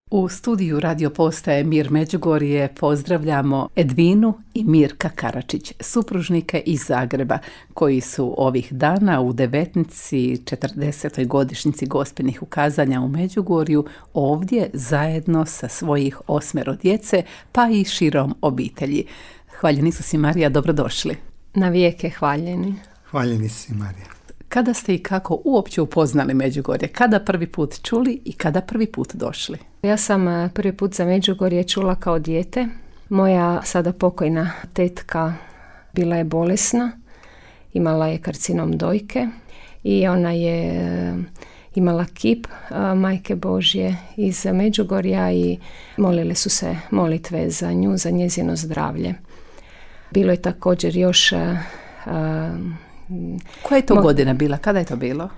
U studiju Radio Postaje Mir Međugorje pozdravljamo Edvinu i Mirka Karačić, supružnike iz Zagreba, koji su ovih dana u devetnici 40. godišnjici Gospinih ukazanja u Međugorju ovdje zajedno sa svojih 8 djece, pa i širom obitelji. Hvaljeni Isus i Marija, dobrodošli. Na vijeke hvaljeni. Hvaljeni si, Marija. Kada ste i kako uopće upoznali Međugorje? Kada prvi put čuli i kada prvi put došli? Ja sam prvi put za Međugorje čula kao dijete. Moja sada pokojna tetka bila je bolesna, imala je karcinom dojke i ona je imala kip Majke Božje iz Međugorja i molile su se molitve za nju, za njezino zdravlje. Bilo je također još... Koja je to godina bila? Kada je to bilo?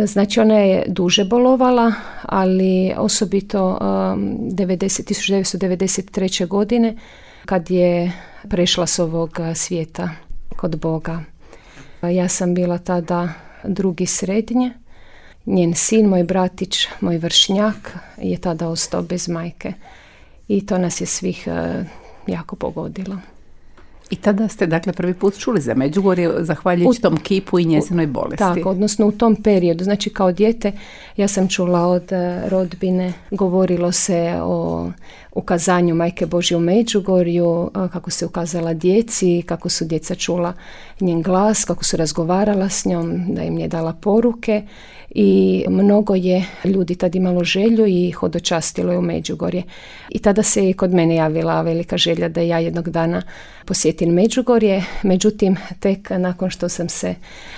Znači ona je duže bolovala, ali osobito 1993. godine kad je prešla s ovog svijeta kod Boga. Ja sam bila tada drugi srednje. Njen sin, moj bratić, moj vršnjak je tada ostao bez majke. I to nas je svih jako pogodilo. I tada ste dakle prvi put čuli za Međugorje zahvaljujući tom kipu i njezinoj bolesti. Tako, odnosno u tom periodu. Znači kao dijete ja sam čula od rodbine, govorilo se o ukazanju Majke Božje u Međugorju, kako se ukazala djeci, kako su djeca čula njen glas, kako su razgovarala s njom, da im je dala poruke i mnogo je ljudi tad imalo želju i hodočastilo je u Međugorje. I tada se i kod mene javila velika želja da ja jednog dana posjetim Međugorje, međutim tek nakon što sam se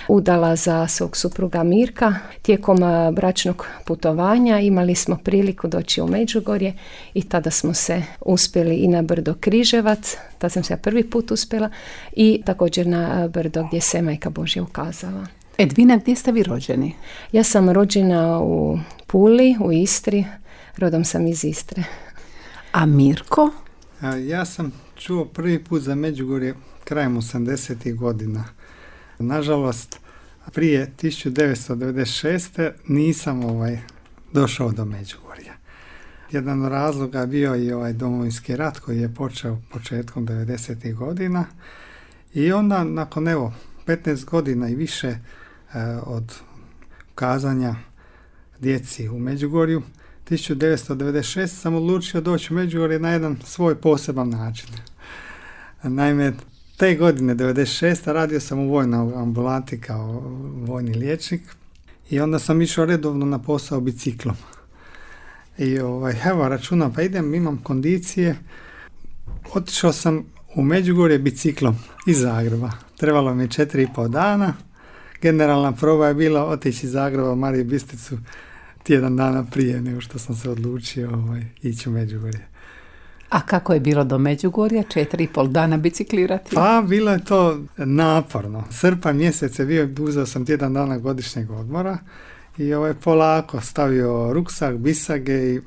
udala za svog supruga Mirka, tijekom bračnog putovanja imali smo priliku doći u Međugorje i tada smo se uspjeli i na brdo Križevac, tada sam se ja prvi put uspjela, i također na brdo gdje se Majka Božja ukazala. Edvina, gdje ste vi rođeni? Ja sam rođena u Puli, u Istri, rodom sam iz Istre. A Mirko? Ja sam čuo prvi put za Međugorje krajem 80. godina. Nažalost, prije 1996. nisam došao do Međugorja. Jedan od razloga bio i Domovinski rat koji je počeo početkom 90. godina i onda nakon 15 godina i više od ukazanja djeci u Međugorju, 1996. sam odlučio doći u Međugorje na jedan svoj poseban način. Naime, te godine, 96. radio sam u vojnoj ambulanti kao vojni liječnik i onda sam išao redovno na posao biciklom. I računam, pa imam kondicije. Otišao sam u Međugorje biciklom iz Zagreba. Trebalo mi je 4,5 dana. Generalna proba je bila otići iz Zagreba u Mariju Bistricu tjedan dana prije nego što sam se odlučio ići u Međugorje. A kako je bilo do Međugorja? 4,5 dana biciklirati? Pa bilo je to naporno. Srpanj mjesec je bio, uzeo sam tjedan dana godišnjeg odmora i polako stavio ruksak, bisage i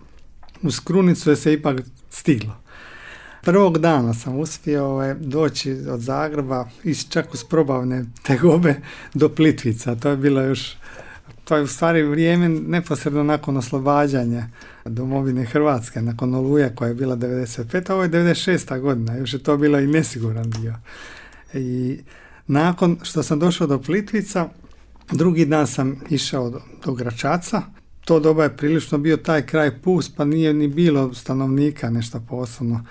uz Krunicu je se ipak stiglo. Prvog dana sam uspio doći od Zagreba čak uz probavne tegobe do Plitvica. To je bilo to je u stvari vrijeme neposredno nakon oslobađanja domovine Hrvatske, nakon Oluje koja je bila 95. Ovo je 96. godina, još je to bilo i nesiguran dio. I nakon što sam došao do Plitvica, drugi dan sam išao do Gračaca. To doba je prilično bio taj kraj pust, pa nije ni bilo stanovnika nešto posebno.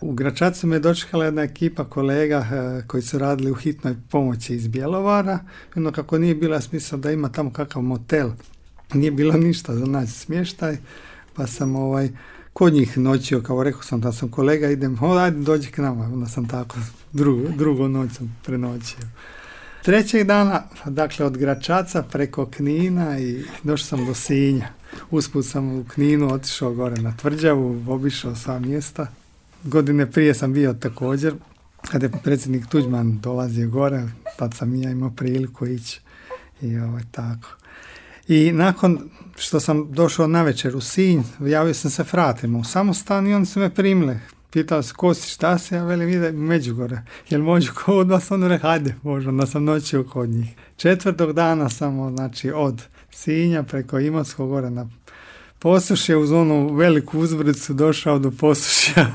U Gračacu me je dočekala jedna ekipa kolega koji su radili u hitnoj pomoći iz Bjelovara. Ono kako nije bila smisla da ima tamo kakav motel, nije bilo ništa za naći smještaj, pa sam kod njih noćio, kao rekao sam da sam kolega, ajde dođi k nama. Onda sam tako drugu noć sam prenoćio. Trećeg dana, dakle od Gračaca preko Knina i došao sam do Sinja. Usput sam u Kninu otišao gore na Tvrđavu, obišao sva mjesta. Godine prije sam bio također, kada je predsjednik Tuđman dolazio gore, tad sam ja imao priliku ići i tako. I nakon što sam došao navečer u Sinj, javio sam se fratima u samostan i oni su me primili. Pitali se, ko si, šta si, ja velim, ide u Međugorje, jel možu kod vas? Ono rekao, hajde, može, onda sam noćio kod njih. 4. dana sam, od Sinja preko Imotskog gore na Posušje uz onu veliku uzbrdicu došao do Posušja.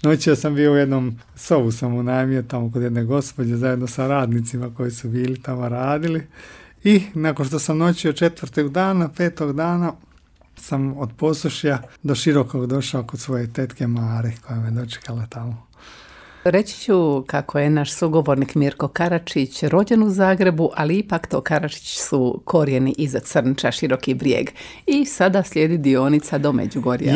Noćio sam bio u jednom sobu, sam unajmio tamo kod jedne gospođe zajedno sa radnicima koji su bili tamo radili. I nakon što sam noćio 4. dana, 5. dana, sam od Posušja do Širokog došao kod svoje tetke Mare koja me dočekala tamo. Reći ću kako je naš sugovornik Mirko Karačić rođen u Zagrebu, ali ipak to Karačić su korijeni iza Crnča, Široki Brijeg. I sada slijedi dionica do Međugorja.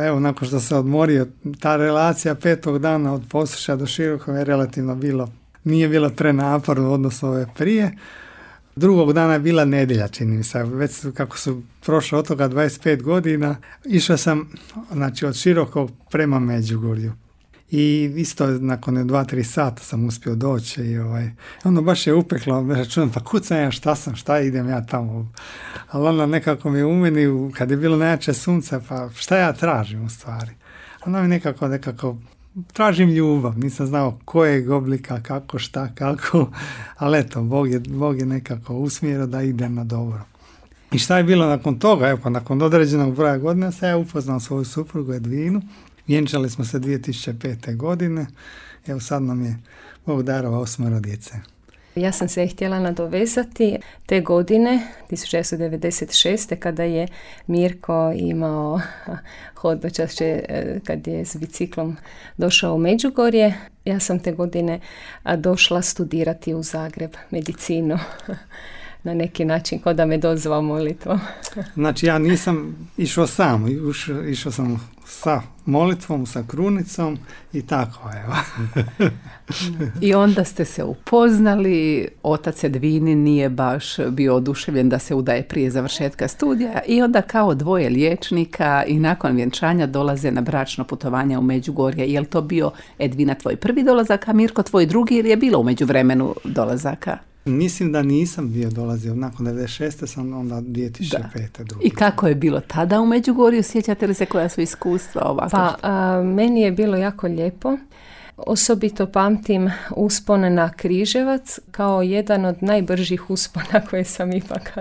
Evo, nakon što se odmorio, ta relacija 5. dana od Posušja do Širokog je relativno nije bilo prenaporno u odnosu ove prije. 2. dana je bila nedjelja, čini mi se, već kako su prošlo od toga 25 godina, išao sam od Širokog prema Međugorju. I isto nakon 2-3 sata sam uspio doći i ono baš je upeklo, računam, pa kud sam ja, šta idem ja tamo, ali onda nekako mi u meni, kad je bilo najjače sunce, pa šta ja tražim u stvari, onda mi nekako tražim ljubav, nisam znao kojeg oblika, kako, šta, kako, ali eto, Bog je nekako usmjerio da idem na dobro. I šta je bilo nakon toga, evo, nakon određenog broja godina sam ja upoznao svoju suprugu Edvinu. Vjenčali smo se 2005. godine, evo sad nam je Bog darovao 8 djece. Ja sam se htjela nadovezati te godine, 1996. kada je Mirko imao hodočašće, kad je s biciklom došao u Međugorje. Ja sam te godine došla studirati u Zagreb medicinu. Na neki način, kao da me dozvao molitvom. Znači ja nisam išao sam, išao sam sa molitvom, sa krunicom i tako, evo. I onda ste se upoznali, otac Edvini nije baš bio oduševljen da se udaje prije završetka studija i onda kao dvoje liječnika i nakon vjenčanja dolaze na bračno putovanje u Međugorje. Je li to bio, Edvina, tvoj prvi dolazak, a Mirko tvoj drugi, ili je bilo u međuvremenu dolazaka? Mislim da nisam bio dolazio, nakon 96. sam onda 2005. drugi. I kako je bilo tada u Međugorju? Sjećate li se koja su iskustva ovako? Pa, meni je bilo jako lijepo. Osobito pamtim uspon na Križevac kao jedan od najbržih uspona koje sam ipak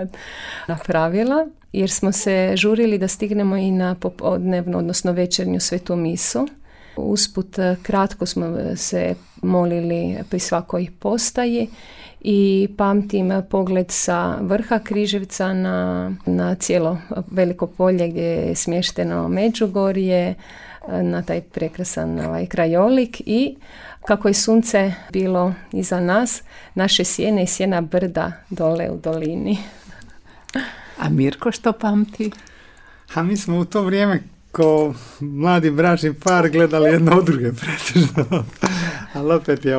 napravila, jer smo se žurili da stignemo i na popodnevnu, odnosno večernju svetu misu. Usput kratko smo se molili pri svakoj postaji i pamtim pogled sa vrha Križevca na cijelo veliko polje gdje je smješteno Međugorje, na taj prekrasan krajolik i kako je sunce bilo iza nas, naše sjene i sjena brda dole u dolini. A Mirko što pamti? A mi smo u to vrijeme ko mladi bračni par gledali jedno od druge pretežno, ali opet je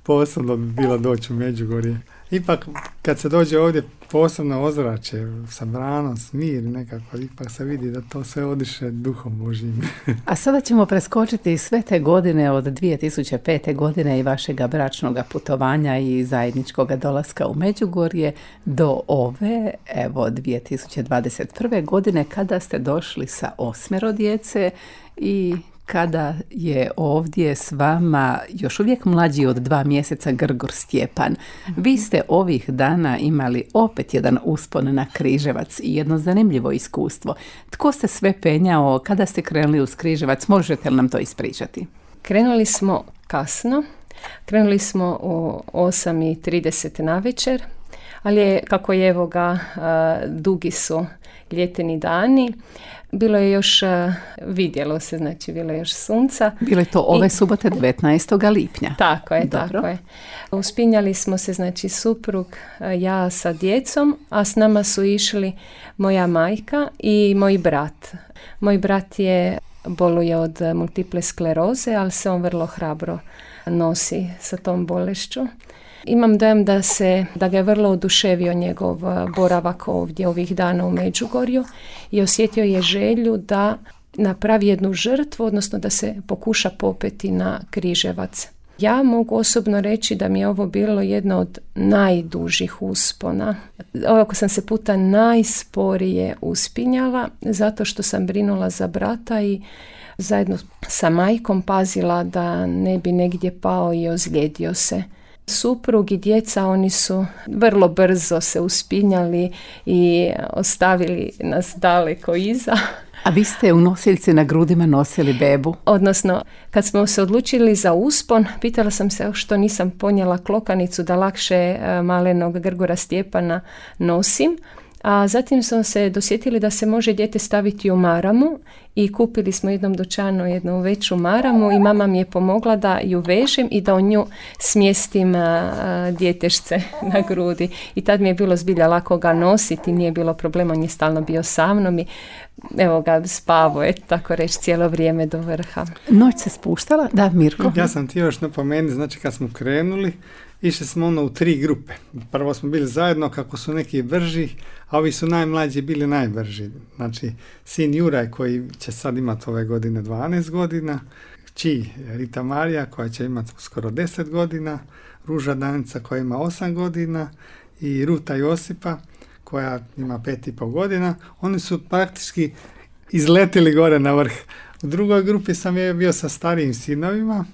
posebno bilo doći u Međugorje. Ipak kad se dođe ovdje posebno ozračje sa branom, smir nekako, ipak se vidi da to sve odiše duhom Božjim. A sada ćemo preskočiti sve te godine od 2005. godine i vašega bračnog putovanja i zajedničkog dolaska u Međugorje do ove, evo 2021. godine kada ste došli sa 8 djece i kada je ovdje s vama još uvijek mlađi od 2 mjeseca Grgor Stjepan. Vi ste ovih dana imali opet jedan uspon na Križevac i jedno zanimljivo iskustvo. Tko se sve penjao, kada ste krenuli uz Križevac, možete li nam to ispričati? Krenuli smo kasno, krenuli smo u 8:30 navečer, ali je, kako je evo ga, dugi su ljeteni dani. Bilo je još, vidjelo se, znači bilo je još sunca. Bilo je to ove subote 19. lipnja. Tako je, Dobro. tako je. Uspinjali smo se, znači suprug, ja sa djecom, a s nama su išli moja majka i moj brat. Moj brat boluje od multiple skleroze, ali se on vrlo hrabro nosi sa tom bolešću. Imam dojam da ga je vrlo oduševio njegov boravak ovdje ovih dana u Međugorju i osjetio je želju da napravi jednu žrtvu, odnosno da se pokuša popeti na Križevac. Ja mogu osobno reći da mi je ovo bilo jedno od najdužih uspona. Ovako sam se puta najsporije uspinjala zato što sam brinula za brata i zajedno sa majkom pazila da ne bi negdje pao i ozlijedio se. Suprug i djeca, oni su vrlo brzo se uspinjali i ostavili nas daleko iza. A vi ste u nosiljci na grudima nosili bebu? Odnosno, kad smo se odlučili za uspon, pitala sam se što nisam ponijela klokanicu da lakše malenog Grgura Stjepana nosim. A zatim smo se dosjetili da se može dijete staviti u maramu i kupili smo u jednom dućanu jednu veću maramu i mama mi je pomogla da ju vežem i da u nju smjestim djetešce na grudi. I tad mi je bilo zbilja lako ga nositi, nije bilo problema, on je stalno bio sa mnom i evo ga spavo je, tako reći, cijelo vrijeme do vrha. Noć se spuštala? Da, Mirko? Ja sam ti još napomenuti, znači kad smo krenuli, išli smo u 3 grupe. Prvo smo bili zajedno kako su neki brži, a ovi su najmlađi bili najbrži. Znači, sin Juraj koji će sad imati ove godine 12 godina, kći Rita Marija koja će imati skoro 10 godina, Ruža Danica koja ima 8 godina i Ruta Josipa koja ima 5,5 godina. Oni su praktički izletili gore na vrh. U drugoj grupi sam je bio sa starijim sinovima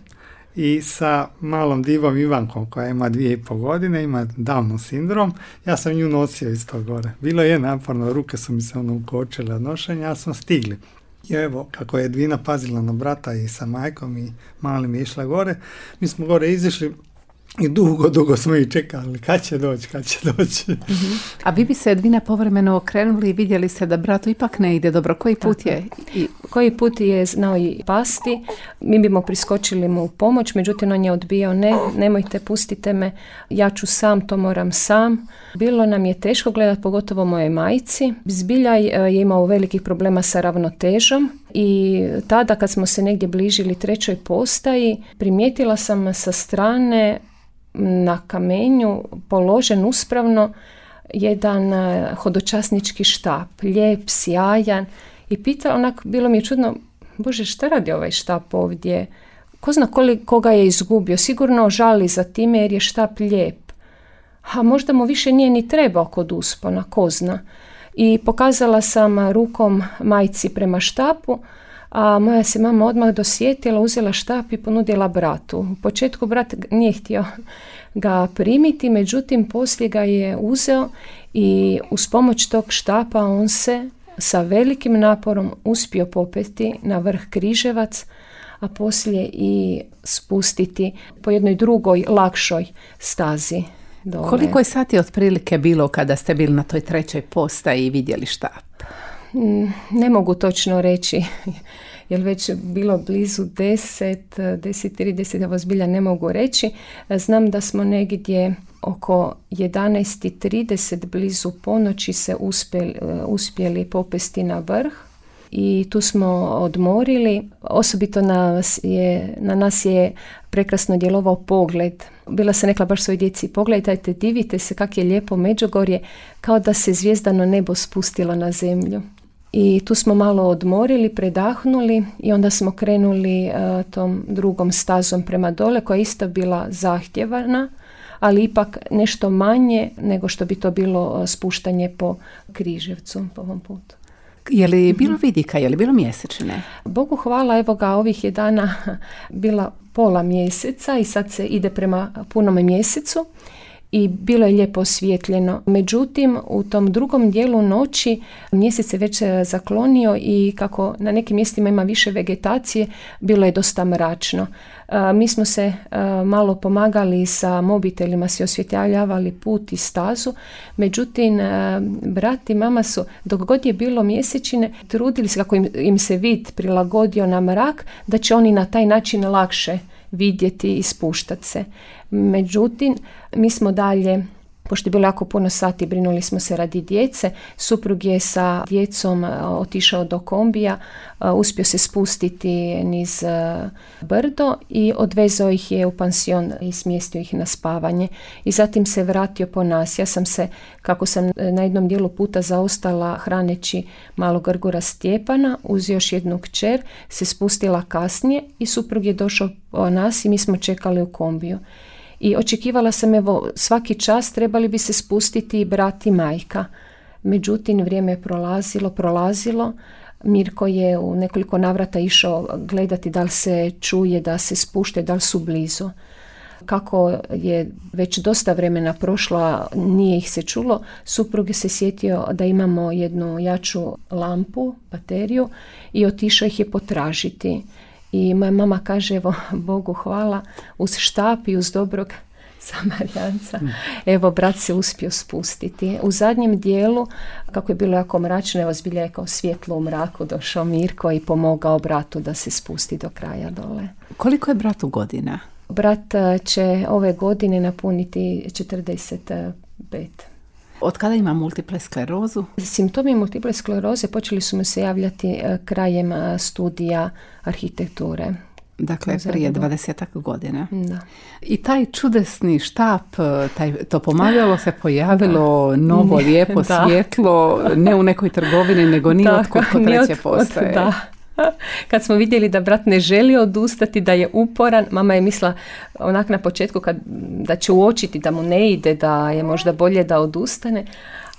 i sa malom divom Ivankom koja ima 2,5 godine, ima Downov sindrom. Ja sam nju nosio isto gore. Bilo je naporno, ruke su mi se ukočile od nošenja, ali smo stigli. I evo, kako je Edvina pazila na brata i sa majkom i malim je išla gore, mi smo gore izišli i dugo smo ih čekali. Kad će doći? Mm-hmm. A vi bi se, Edvina, povremeno okrenuli i vidjeli se da bratu ipak ne ide dobro. Koji put je? Koji put je znao i pasti. Mi bimo priskočili mu u pomoć, međutim on je odbijao, nemojte, pustite me, ja ću sam, to moram sam. Bilo nam je teško gledati, pogotovo moje majci. Zbilja je imao velikih problema sa ravnotežom i tada kad smo se negdje bližili 3. postaji, primijetila sam sa strane na kamenju položen uspravno jedan hodočasnički štap, lijep, sjajan, i pitala, onako bilo mi je čudno, Bože, šta radi ovaj štap ovdje? Ko zna koga je izgubio? Sigurno žali za time jer je štap lijep. A možda mu više nije ni trebao kod uspona, ko zna. I pokazala sam rukom majci prema štapu, a moja se mama odmah dosjetila, uzela štap i ponudila bratu. U početku brat nije htio ga primiti, međutim poslije ga je uzeo i uz pomoć tog štapa on se sa velikim naporom uspio popeti na vrh Križevac, a poslije i spustiti po jednoj drugoj, lakšoj stazi dole. Koliko je sati otprilike bilo kada ste bili na toj 3. postaji i vidjeli štap? Ne mogu točno reći, jer već bilo blizu 10:30, evo zbilja ne mogu reći. Znam da smo negdje oko 11:30 blizu ponoći se uspjeli popesti na vrh i tu smo odmorili. Osobito na nas je prekrasno djelovao pogled. Bila sam rekla baš svoj djeci, pogledajte, divite se kak je lijepo Međugorje, kao da se zvijezdano nebo spustilo na zemlju. I tu smo malo odmorili, predahnuli i onda smo krenuli tom drugom stazom prema dole, koja je isto bila zahtjevana, ali ipak nešto manje nego što bi to bilo spuštanje po Križevcu po ovom putu. Je li bilo vidika, je li bilo mjesečine? Bogu hvala, evo ga, ovih je dana bila pola mjeseca i sad se ide prema punom mjesecu i bilo je lijepo osvijetljeno. Međutim, u tom drugom dijelu noći mjesec se već zaklonio i kako na nekim mjestima ima više vegetacije, bilo je dosta mračno. Mi smo se malo pomagali sa mobitelima, si osvjetljavali put i stazu, međutim, brat i mama su, dok god je bilo mjesečine, trudili se kako im se vid prilagodio na mrak, da će oni na taj način lakše vidjeti i spuštati se. Međutim, mi smo dalje, pošto je bilo jako puno sati, brinuli smo se radi djece. Suprug je sa djecom otišao do kombija, uspio se spustiti niz brdo i odvezao ih je u pansion i smjestio ih na spavanje. I zatim se vratio po nas. Ja sam se, kako sam na jednom dijelu puta zaostala hraneći malog Grgura Stjepana, uz još jednu kćer, se spustila kasnije i suprug je došao po nas i mi smo čekali u kombiju. I očekivala sam, evo, svaki čas trebali bi se spustiti brat i majka. Međutim, vrijeme je prolazilo. Mirko je u nekoliko navrata išao gledati da li se čuje, da se spušte, da li su blizu. kako je već dosta vremena prošlo, a nije ih se čulo, suprug je se sjetio da imamo jednu jaču lampu, bateriju, i otišao ih je potražiti. I moja mama kaže, evo, Bogu hvala, uz štap i uz dobrog Samarijanca, evo, brat se uspio spustiti. U zadnjem dijelu, kako je bilo jako mračno, evo, zbilja je kao svjetlo u mraku došao Mirko i pomogao bratu da se spusti do kraja dole. Koliko je bratu godina? Brat će ove godine napuniti 45. Od kada ima multiple sklerozu? Simptomi multiple skleroze počeli su mu se javljati krajem studija arhitekture. Dakle, prije 20 godina. Da. I taj čudesni štap, to pomagalo se pojavilo novo, lijepo, svjetlo, ne u nekoj trgovini, nego ni otkud kod treće postaje. Da. Kad smo vidjeli da brat ne želi odustati, da je uporan, mama je mislila onak na početku da će uočiti da mu ne ide, da je možda bolje da odustane,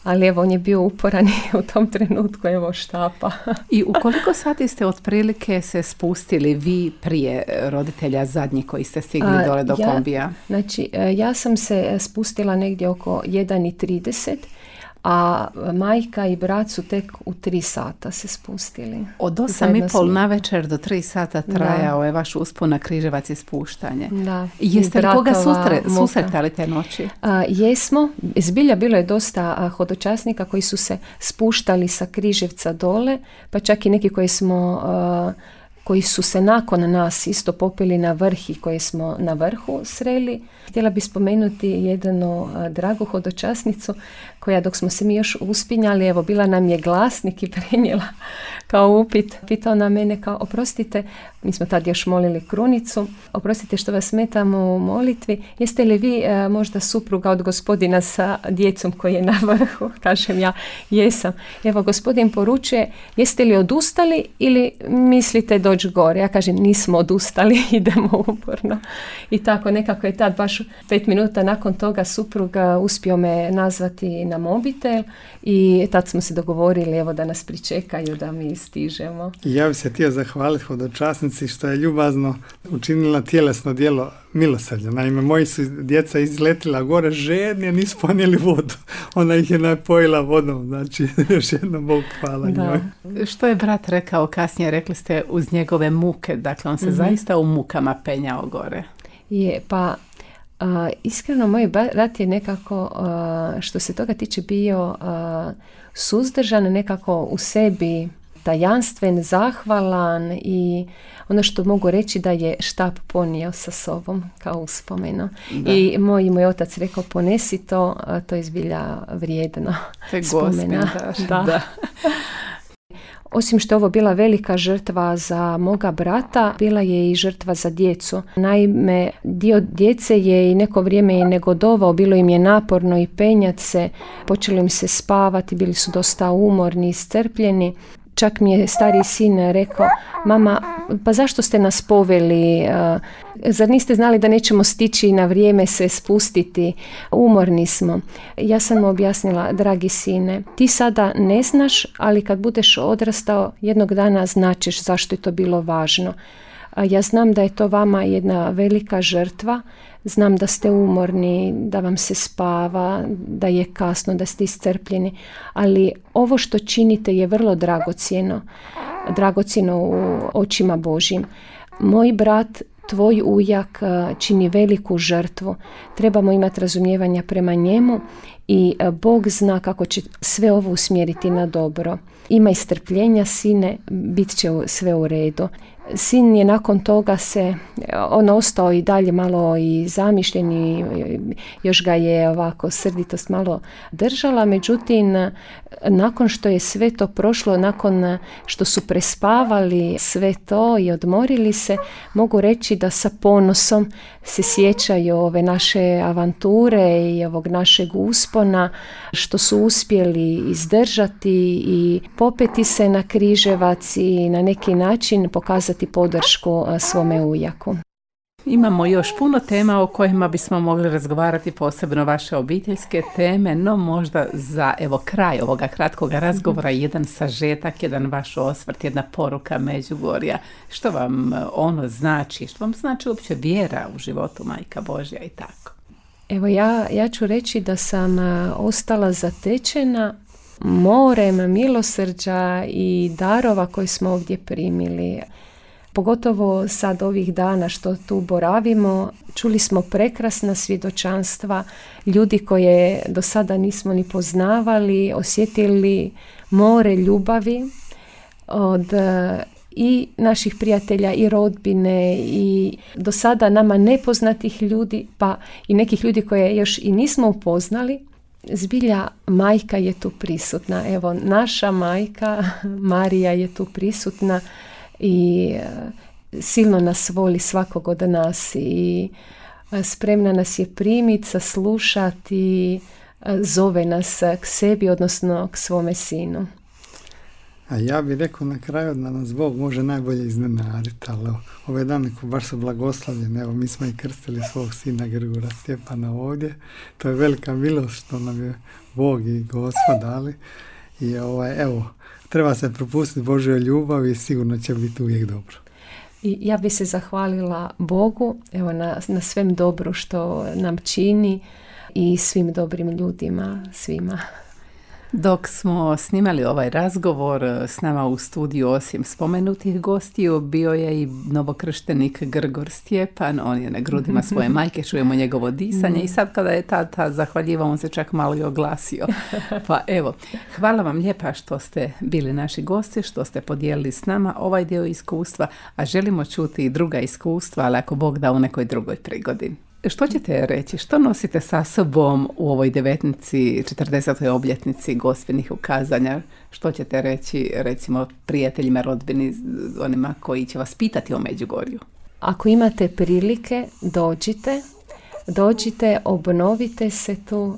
ali evo, on je bio uporan i u tom trenutku evo štapa. I u koliko sati ste otprilike se spustili vi prije roditelja zadnji koji ste stigli dole do kombija? Znači, ja sam se spustila negdje oko 1:30, a majka i brat su tek u 3 sata se spustili. Od 8:30 na večer do 3 sata trajao je vaš uspon na Križevac i spuštanje. Da. Jeste li koga susretali te noći? Jesmo. Zbilja bilo je dosta hodočasnika koji su se spuštali sa Križevca dole, pa čak i neki koji su se nakon nas isto popeli na vrh i koje smo na vrhu sreli. Htjela bi spomenuti jednu dragu hodočasnicu koja, dok smo se mi još uspinjali, evo, bila nam je glasnik i prenijela kao upit. Pitao na mene kao, oprostite, mi smo tad još molili krunicu, oprostite što vas smetam u molitvi, jeste li vi možda supruga od gospodina sa djecom koji je na vrhu? Kažem ja, jesam. Evo, gospodin poručuje, jeste li odustali ili mislite doći gore? Ja kažem, nismo odustali, idemo uporno. I tako nekako je tad baš 5 minuta nakon toga supruga uspio me nazvati na mobitel i tad smo se dogovorili, evo, da nas pričekaju da mi stižemo. Ja bih se htio zahvaliti hodočasnici što je ljubazno učinila tjelesno djelo milosrđa. Naime, moji su djeca izletila gore žedni, a nisu ponijeli vodu. Ona ih je napojila vodom. Znači, još jedno Bog hvala njoj. Što je brat rekao kasnije? Rekli ste uz njegove muke. Dakle, on se zaista u mukama penjao gore. Je, pa iskreno moj brat je nekako, što se toga tiče, bio suzdržan, nekako u sebi tajanstven, zahvalan, i ono što mogu reći da je štap ponio sa sobom kao uspomenu. I moj otac rekao, ponesi to, to je zbilja vrijedno spomena. Da. Osim što je ovo bila velika žrtva za moga brata, bila je i žrtva za djecu. Naime, dio djece je i neko vrijeme je negodovao, bilo im je naporno i penjat se, počelo im se spavati, bili su dosta umorni, iscrpljeni. Čak mi je stariji sin rekao, mama, pa zašto ste nas poveli? Zar niste znali da nećemo stići na vrijeme se spustiti? Umorni smo. Ja sam mu objasnila, dragi sine, ti sada ne znaš, ali kad budeš odrastao, jednog dana značeš zašto je to bilo važno. Ja znam da je to vama jedna velika žrtva, znam da ste umorni, da vam se spava, da je kasno, da ste iscrpljeni, ali ovo što činite je vrlo dragocjeno u očima Božjim. Moj brat, tvoj ujak čini veliku žrtvu, trebamo imati razumijevanja prema njemu i Bog zna kako će sve ovo usmjeriti na dobro. Ima strpljenja, sine, bit će sve u redu. Sin je nakon toga ostao i dalje malo i zamišljen i još ga je ovako srditost malo držala, međutim nakon što je sve to prošlo, nakon što su prespavali sve to i odmorili se, mogu reći da sa ponosom se sjećaju ove naše avanture i ovog našeg uspona, što su uspjeli izdržati i popeti se na Križevac i na neki način pokazati podršku svome ujaku. Imamo još puno tema o kojima bismo mogli razgovarati, posebno vaše obiteljske teme, no možda za kraj ovoga kratkoga razgovora jedan sažetak, jedan vaš osvrt, jedna poruka Međugorja. Što vam ono znači? Što vam znači uopće vjera u životu Majka Božja i tako? Evo ja ću reći da sam ostala zatečena morem milosrđa i darova koje smo ovdje primili. Pogotovo sad ovih dana što tu boravimo, čuli smo prekrasna svjedočanstva ljudi koje do sada nismo ni poznavali, osjetili more ljubavi od i naših prijatelja i rodbine i do sada nama nepoznatih ljudi, pa i nekih ljudi koje još i nismo upoznali. Zbilja majka je tu prisutna. Evo, naša majka Marija je tu prisutna i silno nas voli svakog od nas i spremna nas je primiti, saslušati i zove nas k sebi, odnosno k svome sinu. A ja bih rekao na kraju da nas Bog može najbolje iznenaditi, ali ove dane baš su blagoslavljene. Evo, mi smo i krstili svog sina Grgura Stjepana ovdje. To je velika milost što nam je Bog i Gospod dali. I treba se propustiti Božjoj ljubavi i sigurno će biti uvijek dobro. I ja bih se zahvalila Bogu na svem dobru što nam čini i svim dobrim ljudima, svima. Dok smo snimali ovaj razgovor, s nama u studiju osim spomenutih gostiju bio je i novokrštenik Grgor Stjepan. On je na grudima svoje majke, čujemo njegovo disanje i sad kada je tata zahvaljivao, on se čak malo i oglasio. Pa evo, hvala vam lijepa što ste bili naši gosti, što ste podijelili s nama ovaj dio iskustva, a želimo čuti i druga iskustva, ali ako Bog da u nekoj drugoj prigodi. Što ćete reći? Što nosite sa sobom u ovoj 40. obljetnici Gospinih ukazanja? Što ćete reći, recimo, prijateljima, rodbini, onima koji će vas pitati o Međugorju? Ako imate prilike, dođite, obnovite se tu,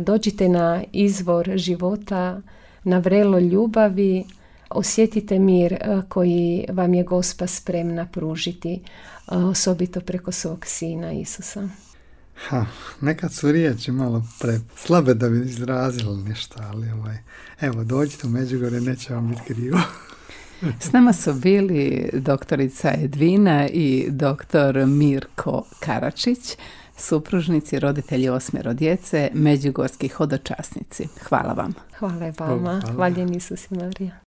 dođite na izvor života, na vrelo ljubavi, osjetite mir koji vam je Gospa spremna pružiti, osobito preko svog sina Isusa. Nekad su riječi malo slabe da bi izrazili nešto, ali evo, dođite u Međugorje, neće vam biti krivo. S nama su bili doktorica Edvina i doktor Mirko Karačić, supružnici, roditelji 8 djece, međugorski hodočasnici. Hvala vam. Hvala vama. Hvaljen Isus i Marija.